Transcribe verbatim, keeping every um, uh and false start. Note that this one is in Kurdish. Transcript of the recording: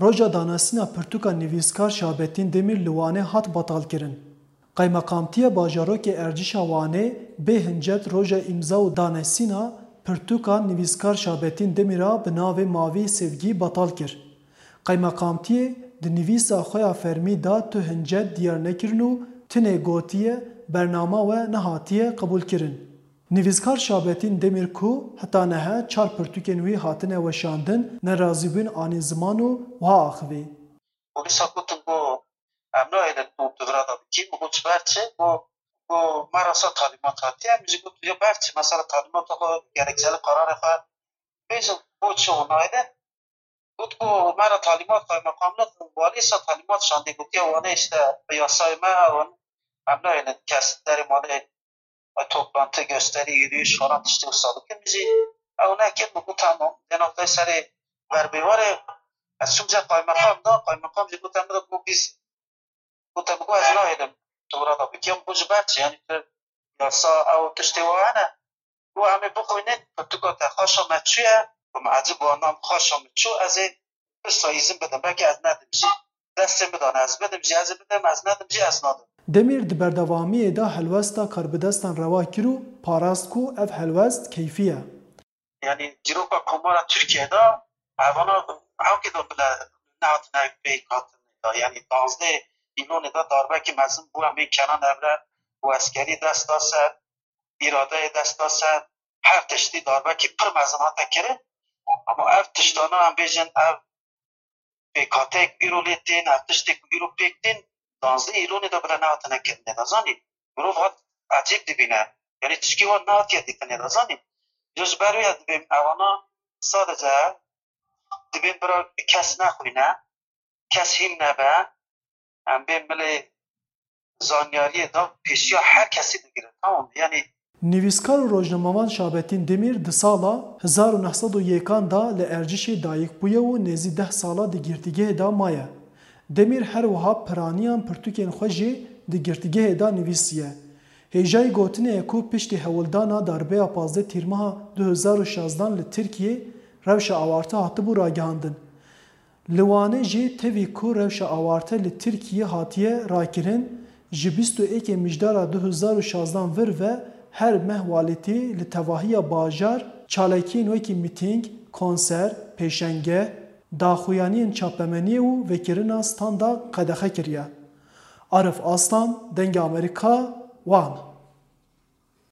Roja danesîna pirtûka nivîskar Şabetîn Demîr li Wanê hat betalkirin. Qaymeqamtiya Bajarokê Erdîşa Wanê bê hincet roja îmza û danesîna pirtûka nivîskar Şabetîn Demîr a bi navê Mavî Sevgî betal kir. Qaymeqamtiyê di nivîsa xwe ya fermî de tu hincet diyar nekirin û tinê gotiye bernama we nehatiye qebûlkirin. Nivîskar Şabetîn Demîr ku heta niha çar pirtûkên wî hatine weşandin, nerazîbûn anî ziman û wiha axivî. Polîsa gotin ku em nahêlin tu tu vira de bikî, min got ji ber çi? Got, got me re sa talîmat hatiye, min jî got ya ber çi? Mesela talîmata xwe, gerekçeli qararê xwe bêjin, bo çi û nahêlin? Got ku me re talîmat, qaymeqamlik, walî sa talîmat şandî, gotiye Wanê işte bi yasayê me ew in, em nahêlin kes derê malê toplantı, gösteri, yürüyüş falan tiştê wisa bikin. Min jî ew nekir, min got tamam. Dê noktayê serê berbêvarê ez çûm cem qaymeqam da, qaymeqam jî got em bide ku biz, got em ku ez nahêlim tu vira da bikî. Min got ji ber çi? Yanî tu yasa ew tiştê wa hene? Got em ê bixwînin, pirtûka te xaşa me çûye. Got min ecib wa, nam xaşa min çû, ez ê pişta îzin bidim, belkî ez nedim jî. Destê min dane ez bidim jî, ez ê bidim, ez nedim jî, ez nadim. Demîr di berdewamiyê de helwesta karbidestan rewa kir û parast ku ev helwest keyfî ye. Yanî dîroka Komara Tirkiyeyê de evana hewkê de bile nehatine pêk hatin de. Yanî danzdeh Îlonê de darbekî mezin bû, em ê kenan evre û eskerî dest da ser, îradeyê dest da ser, her tiştî darbekî pir mezin hate kirin. Ama ev tiştana em bêjin ev pêkhateyek îro lê tên, ev tiştê ku îro pêk tên, danzdeh Îlonê de bile nehatine kirinê de zanî. Mirov hat ecêb dibîne. Yanî tişkî wan nehatiye dîtinê de zanî. Ji ber wê dibêm evana sadece dibên bira kes nexwîne, kes hîn nebe, em bên milê zanyariyê de pêşiya her kesî digirin. Tamam, yanî. Nivîskar û rojnamevan Şabetîn Demîr di sala hezar û neh sed û yekan de li Erdîşê dayik bûye û nêzî deh sala di girtîgehê de maye. Demîr her wiha piraniyan pirtûkên xwe jî di girtîgehê de nivîsiye. Hêjayî gotinê ye ku piştî hewldana darbeya pazdeh Tîrmeha du hezar û şazdan li Tirkiyê rewşa awarte hatibû ragihandin. Li Wanê jî tevî ku rewşa awarte li Tirkiyê hatiye rakirin, ji bîst û êkê Mijdara du hezar û şazdan vir ve her meh walîtî li tevahiya bajar çalakiyên wekî mîtîng, konser, pêşengeh, daxuyaniyên çapemeniyê û vekirina standa qedexe kiriye. Arif Aslan, Dengê Amerîka, Wan.